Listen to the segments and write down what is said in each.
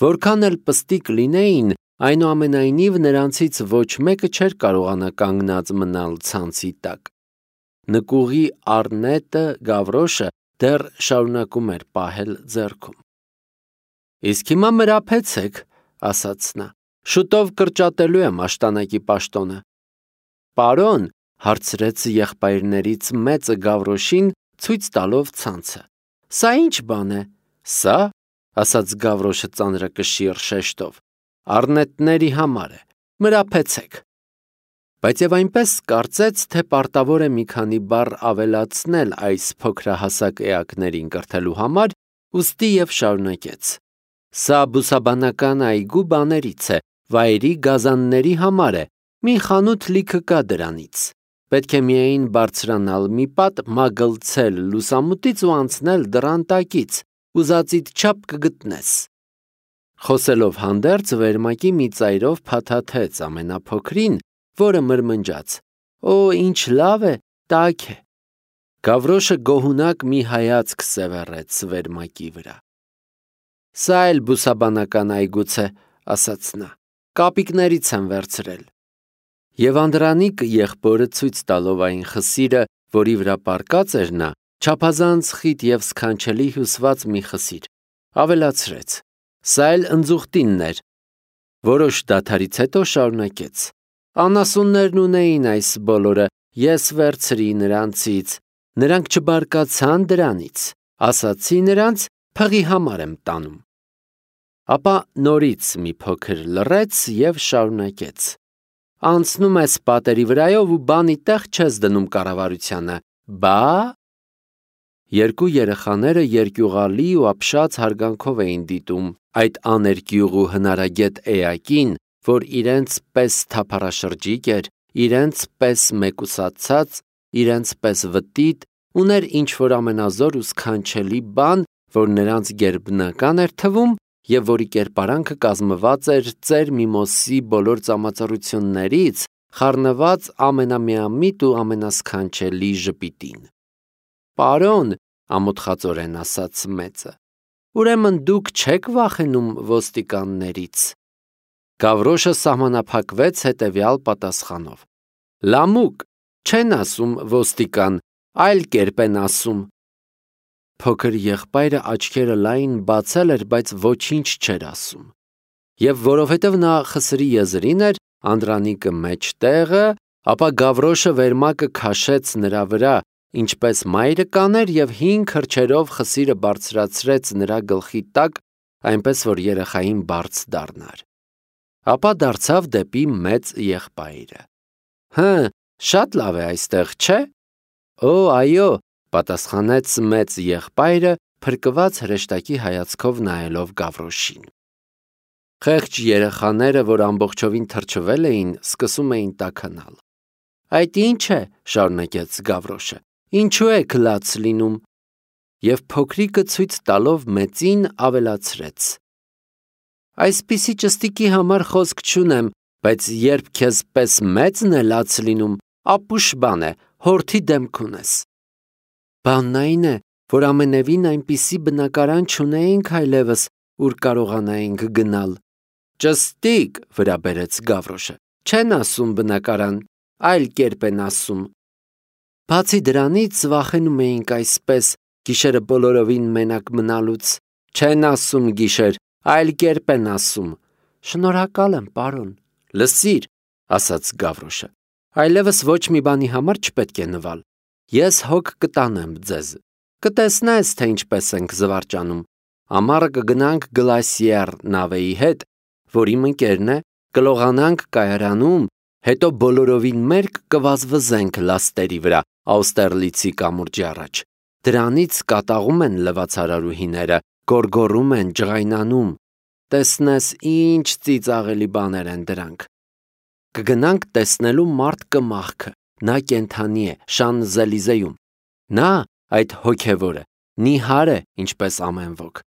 Որքան էլ պստիկ լինեին, այնուամենայնիվ նրանցից ոչ մեկը չէր կարողանա կանգնած մնալ ցանցի տակ։ Նկուղի առնետը Գավրոշը դեռ շարունակում էր պահել ձեռքում։ Իսկ հիմա մրափեցեք, ասաց նա, շուտով կրճատելու եմ աշտանակի պաշտոնը։ Պարոն, հարցրեց եղբայրներից մեծը Գավրոշին, ցույց տալով ցանցը։ Սա ինչ բան է։ Սա, ասաց Գավրոշը ծանրակշիռ շեշտով, առնետների համար է, մրափեցեք։ Բայց եւ այնպես կարծեց, թե պարտավոր է մի քանի բառ ավելացնել այս փոքրահասակ էակներին կրթելու համար, ուստի եւ շարունակեց. Սա բուսաբանական այգու բաներից է, վայրի գազանների համար է, մի խանութ լիքը կա դրանից։ Պետք է միայն բարձրանալ մի պատ, մագլցել լուսամուտից ու անցնել դռան տակից, ուզածիդ չափ կգտնես։ Խոսելով հանդերձ վերմակի մի ծայրով փաթաթեց ամենափոքրին, որը մրմնջաց. Օ, ինչ լավ է, տաք է։ Գավրոշը գոհունակ մի հայացք սևեռեց վերմակի վրա։ Սա էլ բուսաբանական այգուց է, ասաց նա, կապիկներից եմ վերցրել։ Եվ Անդրանիկ եղբորը ցույց տալով այն խսիրը, որի վրա պառկած էր նա, չափազանց խիտ եւ սքանչելի հյուսված մի խսիր, ավելացրեց. Սա էլ ընձուղտինն էր։ Որոշ դադարից հետո շարունակեց. Անասուններն ունեին այս բոլորը, ես վերցրի նրանցից, նրանք չբարկացան դրանից, ասացի նրանց, փղի համար եմ տանում։ Ապա նորից մի փոքր լռեց եւ շարունակեց. Անցնում ես պատերի վրայով ու բանի տեղ չես դնում կառավարությանը, բա… Երկու երեխաները երկյուղալի ու ապշած հարգանքով էին դիտում այդ աներկյուղ ու հնարագետ էակին, որ իրենց պես թափառաշրջիկ էր, իրենց պես մեկուսացած, իրենց պես վտիտ, ուներ ինչ-որ ամենազոր ու սքանչելի բան, որ նրանց գերբնական էր թվում և որի կերպարանքը կազմված էր ծեր միմոսի բոլոր ծամածառություններից, խառնված ամենամիամիտ ու ամենասքանչելի ժպիտին։ Պարոն, ամոթխածորեն ասաց մեծը, ուրեմն դուք չեք վախենում ոստիկաններից։ Գավրոշը սահմանափակվեց հետևյալ պատասխանով. Լամուկ, չեն ասում ոստիկան, այլ կերպ են ասում։ Փոքր եղբայրը աչքերը լայն բացել էր, բայց ոչինչ չէր ասում։ Եվ որովհետև նա խսրի եզրին էր, Անդրանիկը մեջտեղը, ապա Գավրոշը վերմակը քաշեց նրա վրա, ինչպես մայրը կաներ և 5 քրչերով խսիրը բարձրացրեց նրա գլխի տակ, այնպես որ երեխային բարձ դառնար։ Ապա դարձավ դեպի մեծ եղբայրը. շատ լավ է այստեղ, չէ։ Օ, այո, պատասխանեց մեծ եղբայրը, փրկված հրեշտակի հայացքով նայելով Գավրոշին։ Խեղճ երեխաները, որ ամբողջովին թրջվել էին, սկսում էին տաքանալ։ Այդ ինչ է, շարունակեց Գավրոշը, ինչու եք լաց լինում։ Եվ փոքրիկը ցույց տալով մեծին ավելացրեց. Այսպիսի ճստիկի համար խոսք չունեմ, բայց երբ քեզ պես մեծն է լաց լինում, ապուշ բան է, հորթի դեմք ունես։ Բանն այն է, որ ամենևին այնպիսի բնակարան չունեինք այլևս, ուր կարողանայինք գնալ։ Ճստիկ, վրա բերեց Գավրոշը, չեն ասում բնակարան, այլ կերպ են ասում։ Բացի դրանից վախենում էինք այսպես, գիշերը բոլորովին մենակ մնալուց, չեն ասում գիշեր, այլ կերպ են ասում։ Շնորհակալ եմ, պարոն։ Լսիր, ասաց Գավրոշը, այլևս ոչ մի բանի համար չպետք է նվալ։ Ես հոգ կտանեմ ձեզ։ Կտեսնես, թե ինչպես ենք զվարճանում։ Ամառը կգնանք Գլասիեր նավեի հետ, որ իմ ընկերն է, կլողանանք կայարանում, հետո բոլորովին մերկ կվազվզենք լաստերի վրա Աուստերլիցի կամուրջի առաջ։ Դրանից կատաղում են լվացարարուհիները, գոռգոռում են, ջղայնանում։ Տեսնես ինչ ծիծաղելի բաներ են դրանք։ Կգնանք տեսնելու մարդ կմախքը, նա կենդանի է, Շանզելիզեում։ Նա, այդ հոգևորը, նիհար է, ինչպես ամեն ոք։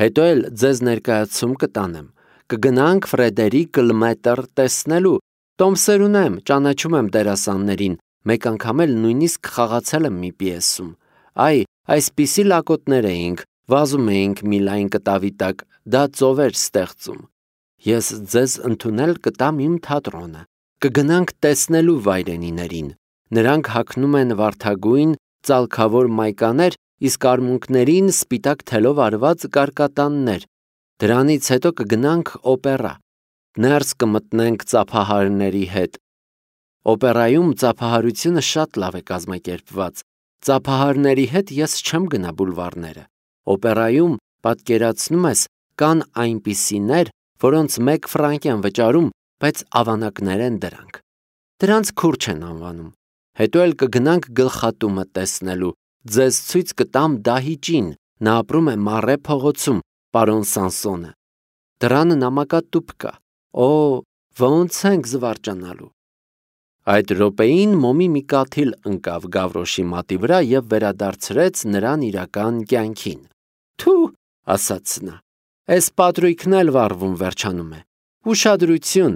Հետո էլ ձեզ ներկայացում կտանեմ։ Կգնանք Ֆրեդերիկ Լմետր տեսնելու։ Տոմսեր ունեմ, ճանաչում եմ դերասաններին, մեկ անգամ էլ նույնիսկ խաղացել եմ մի պիեսում։ Այ, այսպիսի լակոտներ էինք, վազում էինք մի լայն կտավի տակ, դա ծովեր ստեղծում։ Ես ձեզ ընդունել կտամ իմ թատրոնը, կգնանք տեսնելու վայրենիներին, նրանք հագնում են վարդագույն, ծալքավոր մայկաներ, իսկ արմունկներին սպիտակ թելով արված կարկատաններ, դրանից հետո կգնանք օպերա, ներս կմտնենք ծափահարների հետ։ Օպերայում ծափահարությունը շատ լավ է կազմակերպված, ծափահարների հետ ես չեմ գնա բուլվարները, օպերայում, պատկերացնում ես, կան այնպիսիներ, որոնց 1 ֆրանկ են վճարում, բայց ավանակներ են դրանք, դրանց քուրջ են անվանում, հետո էլ կգնանք գլխատումը տեսնելու, ձեզ ցույց կտամ դահիճին, նա ապրում է Մարե փողոցում, պարոն Սանսոնը, դրանը նամակատուփ կա, ոնց ենք զվարճանալու։ Այդ րոպեին մոմի մի կաթիլ ընկավ Գավրոշի մատի վրա և վերադարձրեց նրան իրական կյանքին։ Թու, ասաց նա, էս պատրույքն էլ վառվում վերջանում է։ Ուշադրություն,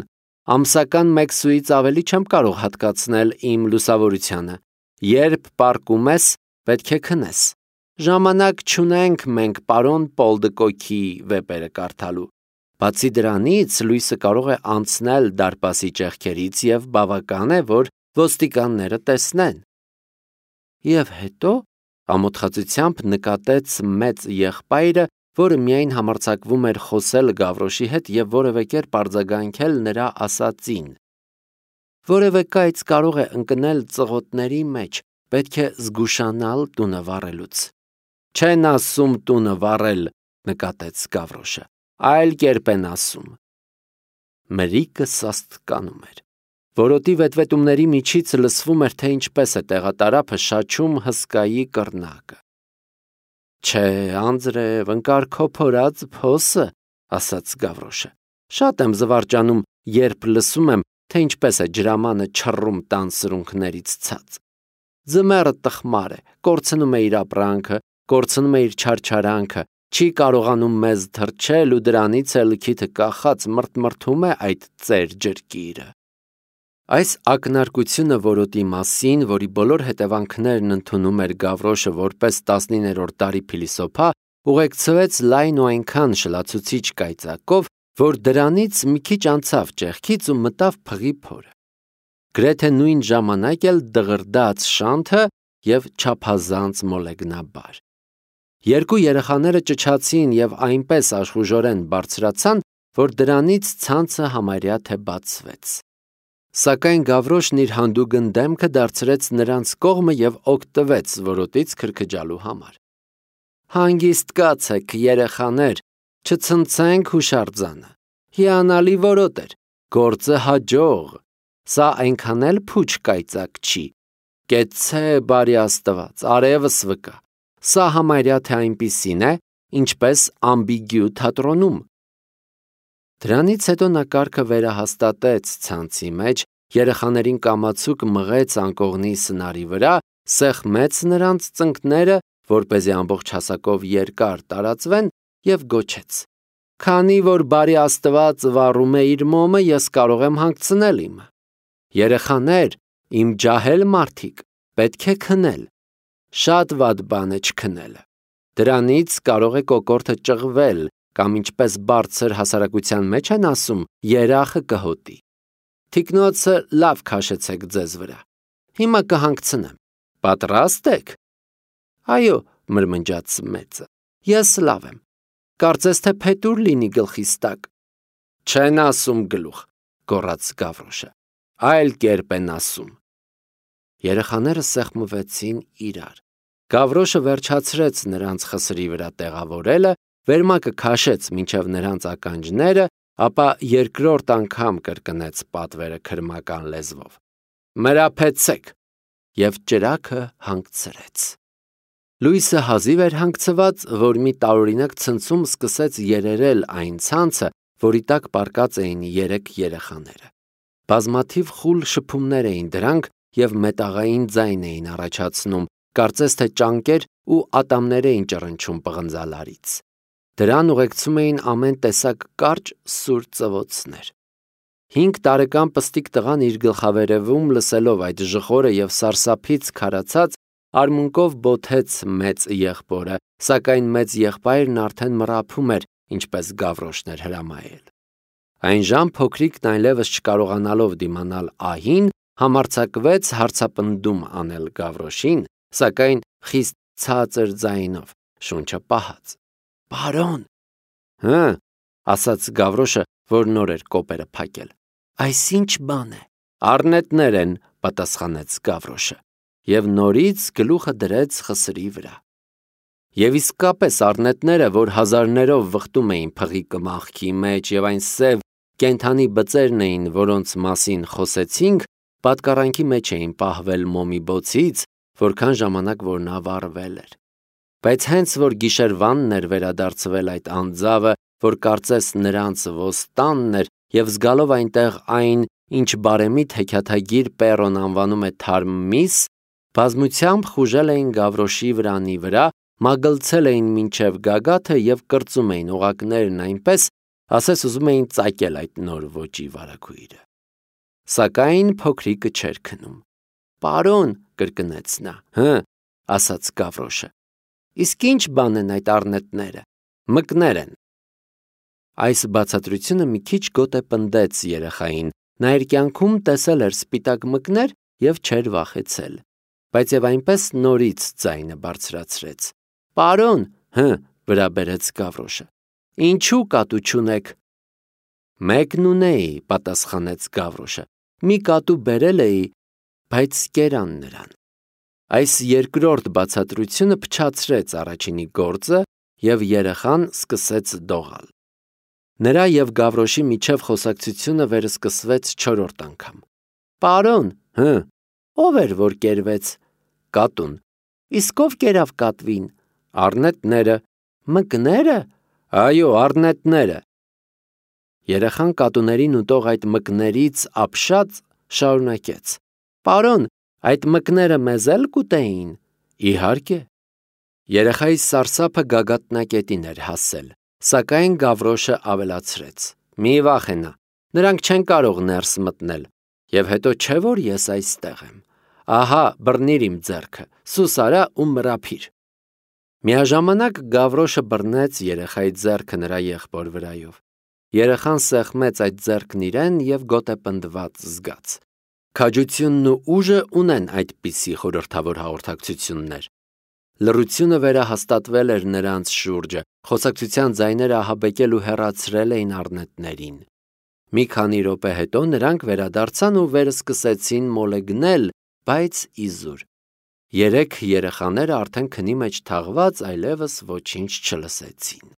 ամսական 1 սուից ավելի չեմ կարող հատկացնել իմ լուսավորությանը։ Երբ պառկում ես, պետք է քնես։ Ժամանակ չունենք մենք պարոն Պոլդկոքի վեպերը կարդալու։ Բացի դրանից, լույսը կարող է անցնել դարպասի ճեղքերից և բավական է, որ ոստիկանները տեսնեն։ Եվ հետո, ամոթխածությամբ նկատեց մեծ եղբայրը, որը միայն համարձակվում էր խոսել Գավրոշի հետ և որևէ կերպ արձագանքել նրա ասածին։ Որևէ կայծ կարող է ընկնել ծղոտների մեջ, պետք է զգուշանալ տունը վառելուց։ Չեն ասում տունը վառել, նկատեց Գավրոշը, այլ կերպ են ասում։ Մրիկը սաստկանում էր։ Որոտի վետվետումների միջից լսվում էր, թե ինչպես է տեղատարափը շաչում հսկայի կռնակը։ Չէ, անձրև, ընկար-քոփորած փոսը, ասաց Գավրոշը։ Շատ եմ զվարճանում, երբ լսում եմ, թե ինչպես է ջրամանը չռում տան սրունքներից ցած։ Ձմեռը տխմար է, կորցնում է իր ապրանքը, կորցնում է իր չարչարանքը, չի կարողանում մեզ թրջել ու դրանից էլ քիթը կախած մրթմրթում է այդ ծեր ջրկիրը։ Այս ակնարկությունը որոտի մասին, որի բոլոր հետևանքներն ընդունում էր Գավրոշը որպես 19-րդ դարի փիլիսոփա, ուղեկցվեց լայն ու այնքան շլացուցիչ կայծակով, որ դրանից մի քիչ անցավ ճեղքից ու մտավ փղի փորը։ Գրեթե նույն ժամանակ էլ դղրդաց շանթը և չափազանց մոլեգնաբար։ Երկու երեխաները ճչացին և այնպես աշխուժորեն բարձրացան, որ դրանից ցանցը համարյա թե բացվեց։ Սակայն Գավրոշն իր հանդուգն դեմքը դարձրեց նրանց կողմը և օգտվեց որոտից քրքջալու համար։ Հանգիստ կացեք, երեխաներ, չցնցենք հուշարձանը։ Հիանալի որոտ էր, գործը հաջող, սա այնքան էլ փուչ կայծակ չի։ Կեցցե բարի Աստված, արևս վկա, սա համարյա թե այնպիսին է, ինչպես ամբիգյու թատրոնում։ Դրանից հետո նա կարգը վերահաստատեց ցանցի մեջ, երեխաներին կամացուկ մղեց անկողնի սնարի վրա, սեղմեց նրանց ծնկները, որպեսզի ամբողջ հասակով երկար տարածվեն, և գոչեց. Քանի որ բարի Աստված վառում է իր մոմը, ես կարող եմ հանգցնել իմը։ Երեխաներ, իմ ջահել մարդիկ, պետք է քնել։ Շատ վատ բան է չքնելը։ Դրանից կարող է կոկորդը ճղվել, կամ ինչպես բարձր հասարակության մեջ են ասում, երախը կհոտի։ Թիկնոցը լավ քաշեցեք ձեզ վրա։ Հիմա կհանգցնեմ։ Պատրաստ եք։ Այո, մրմնջաց մեծը։ Ես լավ եմ։ Կարծես թե փետուր լինի գլխիս տակ։ Չեն ասում գլուխ, գոռաց Գավրոշը։ Այլ կերպ են ասում։ Երեխաները սեղմվեցին իրար։ Գավրոշը վերջացրեց նրանց խսրի վրա տեղավորելը, վերմակը քաշեց մինչև նրանց ականջները, ապա երկրորդ անգամ կրկնեց պատվերը քրմական լեզվով։ Մրափեցեք, և ճրագը հանգցրեց։ Լույսը հազիվ էր հանգցված, որ մի տարօրինակ ցնցում սկսեց երերել այն ցանցը, որի տակ պառկած էին 3 երեխաները։ Բազմաթիվ խուլ շփումներ էին դրանք և մետաղային ձայն էին առաջացնում, կարծես թե ճանկեր ու ատամներ էին ճռնչում պղնձալարից։ Դրան ուղեկցում էին ամեն տեսակ կարճ սուր ծվոցներ։ 5 տարեկան պստիկ տղան իր գլխավերևում լսելով այդ ժխորը և սարսափից քարացած, արմունկով բոթեց մեծ եղբորը, սակայն մեծ եղբայրն արդեն մռափում էր ինչպես Գավրոշն էր հրամայել։ Այն ժամ փոքրիկն այլևս չկարողանալով դիմանալ ահին, համարձակվեց հարցապնդում անել Գավրոշին, սակայն խիստ ցածր ձայնով, շունչը պահած։ «Պարոն», ասաց Գավրոշը, որ նոր էր կոպերը փակել։ «Այս ինչ բան է»։ «Առնետներ են», պատասխանեց Գավրոշը, և նորից գլուխը դրեց խսրի վրա։ Եվ իսկապես առնետները, որ հազարներով վխտում էին փղի կմախքի մեջ, և այն սև կենդանի բծերն էին, որոնց մասին խոսեցինք, պատկառանքի մեջ էին պահվել մոմի բոցից, որքան ժամանակ որ նա վառվել էր։ Բայց հենց որ գիշերվանն էր վերադարձվել այդ անձավը, որ կարծես նրանց ոստանն էր, և զգալով այնտեղ այն, ինչ բարեմիտ հեքիաթագիր Պեռոն անվանում է թարմ միս, բազմությամբ խուժել էին Գավրոշի վրանի վրա, մագլցել էին մինչև գագաթը և կրծում էին օղակներն այնպես, ասես ուզում էին ծակել այդ նոր ոճի վարագույրը։ Սակայն փոքրիկը չէր քնում։ «Պարոն», կրկնեց նա։ Ասաց Գավրոշը։ «Իսկ ինչ բան են այդ առնետները»։ «Մկներ են»։ Այս բացատրությունը մի քիչ գոտե պնդեց երեխային, նա իր կյանքում տեսել էր սպիտակ մկներ և չէր վախեցել, բայց և այնպես նորից ձայնը բարձրացրեց։ «Պարոն», վրա բերեց Գավրոշը։ «Ինչու կատու չունեք»։ «Մեկն ունեի», պատասխանեց Գավրոշը, «մի կատու բերել էի, բայց կերան նրան»։ Այս երկրորդ բացատրությունը փչացրեց առաջինի գործը, և երեխան սկսեց դողալ։ Նրա և Գավրոշի միջև խոսակցությունը վերսկսվեց չորրորդ անգամ։ «Պարոն», ով էր, որ կերվեց։ «Կատուն»։ «Իսկ ով կերավ կատվին»։ «Առնետները»։ «Մկները»։ «Այո, առնետները»։ Երեխան կատուներին ուտող այդ մկներից ապշած շարունակեց։ «Պարոն, այդ մկները մեզ էլ կուտեին»։ «Իհարկե»։ Երեխայի սարսափը գագաթնակետին էր հասել, սակայն Գավրոշը ավելացրեց. «Մի վախենա, նրանք չեն կարող ներս մտնել, և հետո չէ որ ես այստեղ եմ։ Ահա բռնիր իմ ձեռքը, սուս արա ու մռափիր»։ Միաժամանակ Գավրոշը բռնեց երեխայի ձեռքը նրա եղբոր վրայով։ Երեխան սեղմեց այդ ձեռքն իրեն և գոտեպնդված զգաց։ Քաջությունն ու ուժը ունեն այդպիսի խորհրդավոր հաղորդակցություններ։ Լռությունը վերահաստատվել էր նրանց շուրջը, խոսակցության ձայները ահաբեկել ու հեռացրել էին առնետներին։ Մի քանի րոպե հետո նրանք վերադարձան ու վերսկսեցին մոլեգնել, բայց իզուր։ Երեք երեխաները արդեն քնի մեջ թաղված այլևս ոչինչ չլսեցին։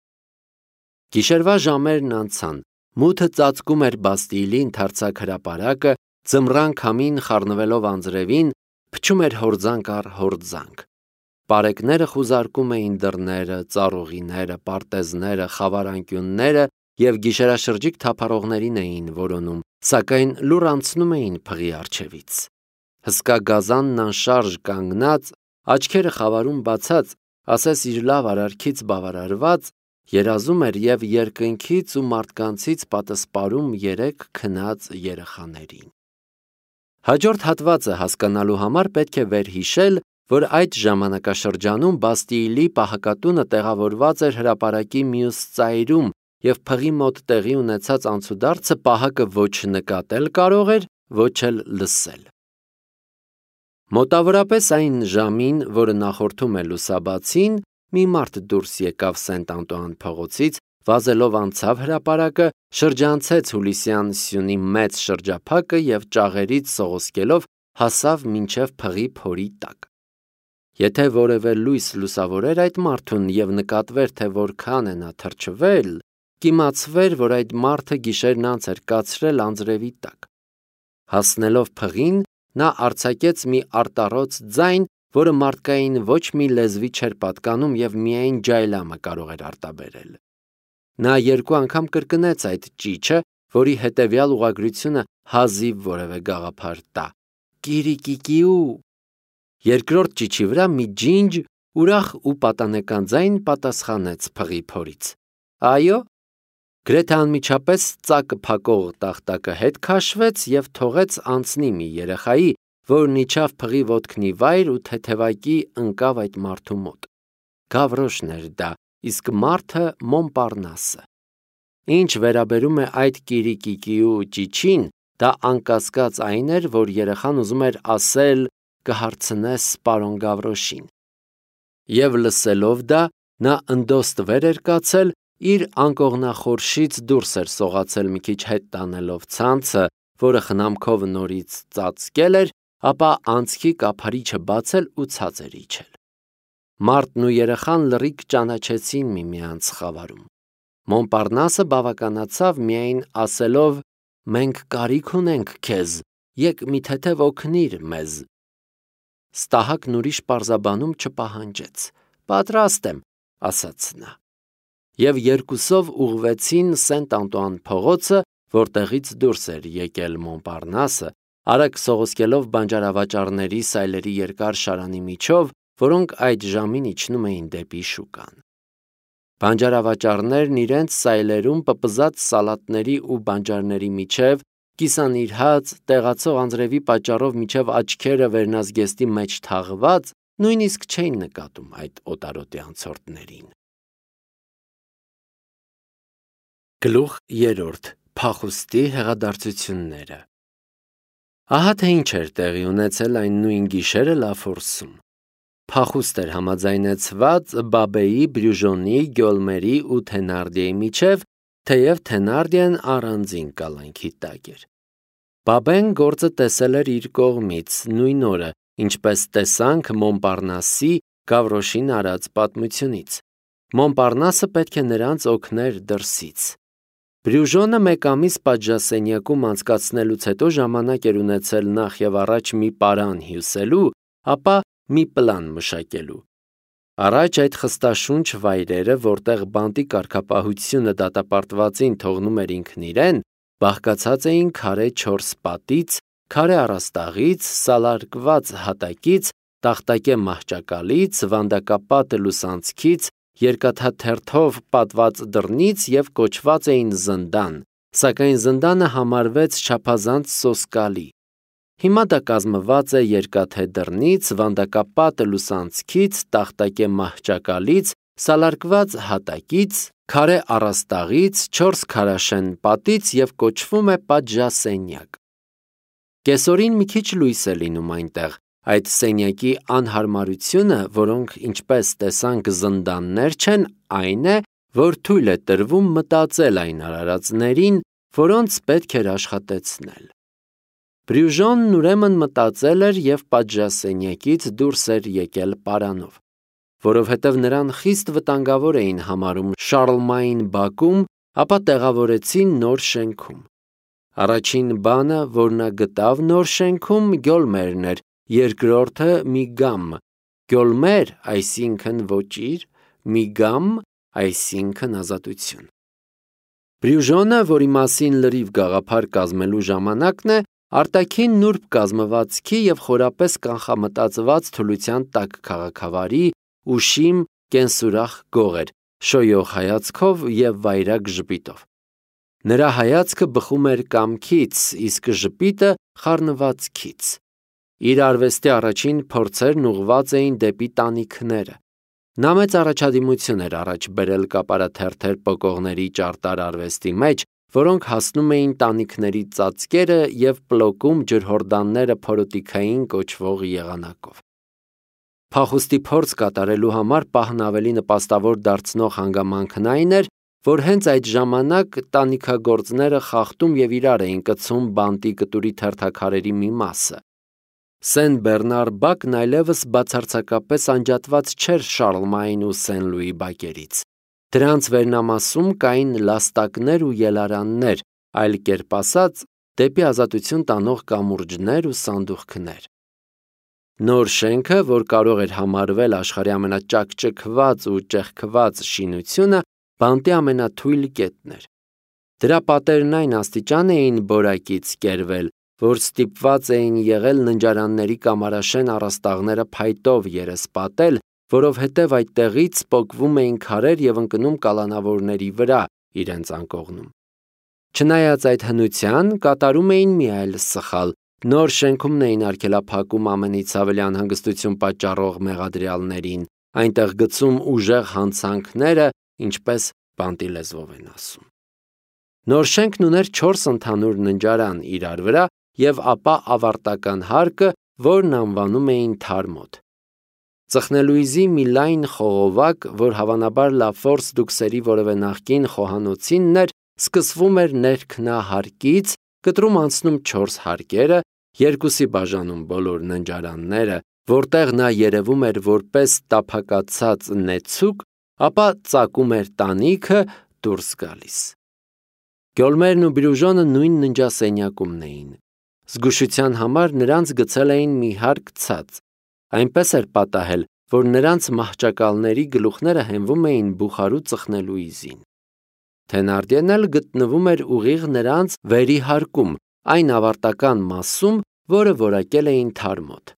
Գիշերվա ժամերն անցան, մութը ծածկում էր Բաստիլի ընդարձակ հրապարակը, ձմռան քամին խառնվելով անձրևին, փչում էր հորձանք առ հորձանք։ Պարեկները խուզարկում էին դռները, ծառուղիները, պարտեզները, խավարանկյունները և գիշերաշրջիկ թափառողներին էին որոնում, սակայն լուռ անցնում էին փղի առջևից։ Հսկա գազանն անշարժ կանգնած, աչքերը խավարում բացած, ասես իր լավ արարքից բավարարված, երազում էր և երկնքից ու մարդկանցից պատսպարում երեք քնած երեխաներին։ Հաջորդ հատվածը հասկանալու համար պետք է վերհիշել, որ այդ ժամանակաշրջանում Բաստիլի պահակատունը տեղավորված էր հրապարակի մյուս ծայրում, և փղի մոտ տեղի ունեցած անցուդարձը պահակը ոչ նկատել կարող էր, ոչ էլ լսել։ Մոտավորապես այն ժամին, որը նախորդում է լուսաբացին, մի մարդ դուրս եկավ Սենտ Անտուան փողոցից, վազելով անցավ հրապարակը, շրջանցեց Հուլիսյան սյունի մեծ շրջափակը և ճաղերից սողոսկելով հասավ մինչև փղի փորի տակ։ Եթե որևէ լույս լուսավորեր այդ մարդուն և նկատվեր, թե որքան է նա թրջվել, կիմացվեր, որ այդ մարդը գիշերն անց էր կացրել անձրևի տակ։ Հասնելով փղին, նա արձակեց մի արտառոց ձայն, որը մարդկային ոչ մի լեզվի չէր պատկանում և միայն ջայլամը կարող էր արտաբերել։ Նա երկու անգամ կրկնեց այդ ճիչը, որի հետևյալ ուղղագրությունը հազիվ որևէ գաղափար տա. «Կիրիկիկիու»։ Երկրորդ ճիչի վրա մի ջինջ, ուրախ ու պատանեկան ձայն պատասխանեց փղի փորից։ «Այո»։ Գրեթե անմիջապես ծակը փակող տախտակը հետ քաշվեց և թողեց անցնի մի երեխայի, որն իջավ փղի ոտքնի վայր ու թեթևակի ընկավ այդ մարդու մոտ։ Գավրոշն էր դա, իսկ մարդը Մոնպարնասը։ Ինչ վերաբերում է այդ կիրիկիկիու ճիչին, դա անկասկած այն էր, որ երեխան ուզում էր ասել կհարցնես պարոն Գավրոշին։ Եվ լսելով դա, նա ընդոст վեր էր կացել, իր անկողնախորշից դուրս էր սողացել մի քիչ հետ տանելով ցանցը, որը խնամքով նորից ծածկել էր, ապա անցքի կափարիչը բացել ու ցած էր իջել։ Մարդն ու երեխան լրիվ ճանաչեցին միմյանց խավարում։ Մոնպարնասը բավականացավ միայն ասելով. «Մենք կարիք ունենք քեզ, եկ մի թեթև օգնիր մեզ»։ Ստահակն ուրիշ պարզաբանում չպահանջեց։ «Պատրաստ եմ», ասաց նա։ Եվ երկուսով ուղղվեցին Սենտ-Անտուան փողոցը, որտեղից դուրս էր եկել Մոնպարնասը, արագ սողոսկելով բանջարավաճառների սայլերի երկար շարանի միջով, որոնք այդ ժամին իջնում էին դեպի շուկան։ Բանջարավաճառներն իրենց սայլերում պպզած սալատների ու բանջարների միջև, կիսանիրհած, տեղացող անձրևի պատճառով միջև աչքերը վերնազգեստի մեջ թաղված, նույնիսկ չէին նկատում այդ օտարոտի անցորդներին։ Գլուխ 3. Փախուստի հեղադարձությունները։ Ահա թե ինչ էր տեղի ունեցել այն նույն գիշերը Լաֆորսում։ Փախուստ էր համաձայնեցված Բաբեի, Բրյուժոնի, Գյոլմերի ու Թենարդիեի միջև, թեև Թենարդիեն առանձին կալանքի տակ էր։ Բաբեն գործը տեսել էր իր կողմից նույն օրը, ինչպես տեսանք Մոնպարնասի Գավրոշին արած պատմությունից։ Մոնպարնասը պետք է նրանց օգներ դրսից։ Բրյուժոնը մեկ ամիս պատժասենյակում անցկացնելուց հետո ժամանակ էր ունեցել նախ եւ առաջ մի պարան հյուսելու, ապա մի պլան մշակելու։ Առաջ այդ խստաշունչ վայրերը, որտեղ բանտի կարգապահությունը դատապարտվածին թողնում էր ինքն իրեն, բաղկացած էին քարե 4 պատից, քարե առաստաղից, սալարկված հատակից, տախտակե մահճակալից, վանդակապատ լուսանցքից, երկաթաթերթով պատված դռնից և կոչված էին զնդան, սակայն զնդանը համարվեց չափազանց սոսկալի։ Հիմա դա կազմված է երկաթե դռնից, վանդակապատ լուսանցքից, տախտակե մահճակալից, սալարկված հատակից, քարե առաստաղից, 4 քարաշեն պատից և կոչվում է պատժասենյակ։ Կեսօրին մի քիչ լույս է լինում այնտեղ, այդ սենյակի անհարմարությունը, որոնք ինչպես տեսանք զնդաններ չեն, այն է, որ թույլ է տրվում մտածել այն արարածներին, որոնց պետք էր աշխատեցնել։ Բրյուժոնն ուրեմն մտածել էր և պատժասենյակից դուրս էր եկել պարանով, որովհետև նրան խիստ վտանգավոր էին համարում Շարլմային բակում, ապա տեղավորեցին նոր շենքում։ Առաջին բանը, որ նա գտավ նոր շենքում, Գյոլմերն էր, երկրորդը Միգամ։ Գյոլմեր, այսինքն ոճիր, Միգամ, այսինքն ազատություն։ Բրյուժոնը, որի մասին լրիվ գաղափար կազմելու ժամանակն է, արտաքին նուրբ կազմվածքի և խորապես կանխամտածված թուլության տակ քաղաքավարի, ուշիմ, կենսուրախ գող էր, շոյող հայացքով և վայրագ ժպիտով։ Նրա հայացքը բխում էր կամքից, իսկ ժպիտը խառնվածքից։ Իր արվեստի առաջին փորձերն ուղղված էին դեպի տանիքները։ Նա մեծ առաջադիմություն էր առաջ բերել կապարաթերթեր պոկողների ճարտար արվեստի մեջ, որոնք հասնում էին տանիքների ծածկերը և պլոկում ջրհորդանները փորոտիքային կոչվող եղանակով։ Փախուստի փորձ կատարելու համար պահն ավելի նպաստավոր դարձնող հանգամանքն այն էր, որ հենց այդ ժամանակ տանիքագործները խախտում և իրար էին կցում բանտի կտուրի թերթաքարերի մի մասը։ Սեն Բեռնար բակն այլևս բացարձակապես անջատված չէր Շարլմային ու Սեն Լուի բակերից։ Դրանց վերնամասում կային լաստակներ ու ելարաններ, այլ կերպ ասած, դեպի ազատություն տանող կամուրջներ ու սանդուղքներ։ Նոր շենքը, որ կարող էր համարվել աշխարհի ամենաճակճկված ու ճեղքված շինությունը, բանտի ամենաթույլ կետն էր։ Դրա պատերն այն աստիճան էին բորակից կերվել, որ ստիպված էին եղել ննջարանների կամարաշեն առաստաղները փայտով երեսպատել, որովհետև այդտեղից պոկվում էին քարեր և ընկնում կալանավորների վրա իրենց անկողնում։ Չնայած այդ հնության, կատարում էին մի այլ սխալ. նոր շենքումն էին արգելափակում ամենից ավելի անհանգստություն պատճառող մեղադրյալներին, այնտեղ գցում ուժեղ հանցանքները, ինչպես բանտի լեզվով են ասում։ Նոր շենքն ուներ 4 ընդհանուր ննջարան իրար վրա և ապա ավարտական հարկը, որն անվանում էին թարմոտ։ Ծխնելույզի մի լայն խողովակ, որ հավանաբար Լաֆորս դուքսերի որևէ նախկին խոհանոցինն էր, սկսվում էր ներքնահարկից, կտրում անցնում 4 հարկերը, երկուսի բաժանում բոլոր ննջարանները, որտեղ նա երևում էր որպես տափակացած նեցուկ, ապա ծակում էր տանիքը դուրս գալիս։ Գյոլմերն ու Բիրուժոնը նույն ննջասենյակումն էին։ Զգուշության համար նրանց գցել էին մի հարկ ցած, այնպես էր պատահել, որ նրանց մահճակալների գլուխները հենվում էին բուխարու ծխնելույզին։ Թենարդիեն էլ գտնվում էր ուղիղ նրանց վերի հարկում, այն ավարտական մասում, որը որակել էին թարմոտ։